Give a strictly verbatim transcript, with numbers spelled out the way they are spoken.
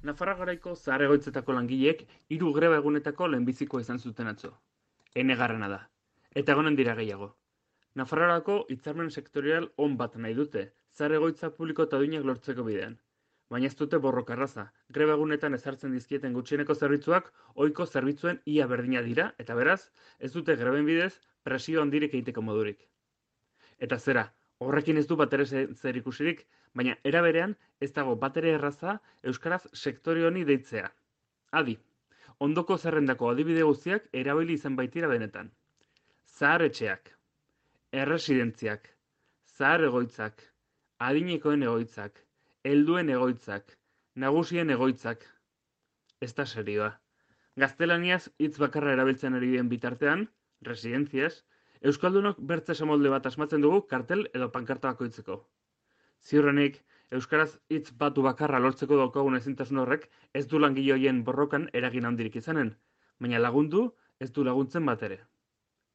Nafarra Garaiko zahar egoitzetako langileek hiru greba egunetako lehenbizikoa izan zuten atzo. Enegarrena da. Eta egonen dira gehiago. Nafarroarako hitzarmen sektorial on bat nahi dute, zahar egoitza publiko eta duinak lortzeko bidean. Baina ez dute borroka erraza. Greba egunetan ezartzen dizkieten gutxieneko zerbitzuak ohiko zerbitzuen ia berdina dira, eta beraz, ez dute greben bidez presio handirik egiteko modurik. Eta zera, horrekin ez du batere zer ikusirik, baina era berean ez dago batere erraza euskaraz sektore honi deitzea. Adi, ondoko zerrendako adibide guztiak erabili izan baitira benetan. Zahar etxeak, erresidentziak, zahar egoitzak, adinekoen egoitzak, helduen egoitzak, nagusien egoitzak. Ez da serioa. Gaztelaniaz hitz bakarra erabiltzen ari den bitartean, residentziaz, euskaldunok bertze esamolde bat asmatzen dugu kartel edo pankarta bakoitzeko. Ziurrenik, euskaraz hitz batu bakarra lortzeko daukagun ezintasun horrek ez du langile horien borrokan eragin handirik izanen, baina lagundu ez du laguntzen bat ere.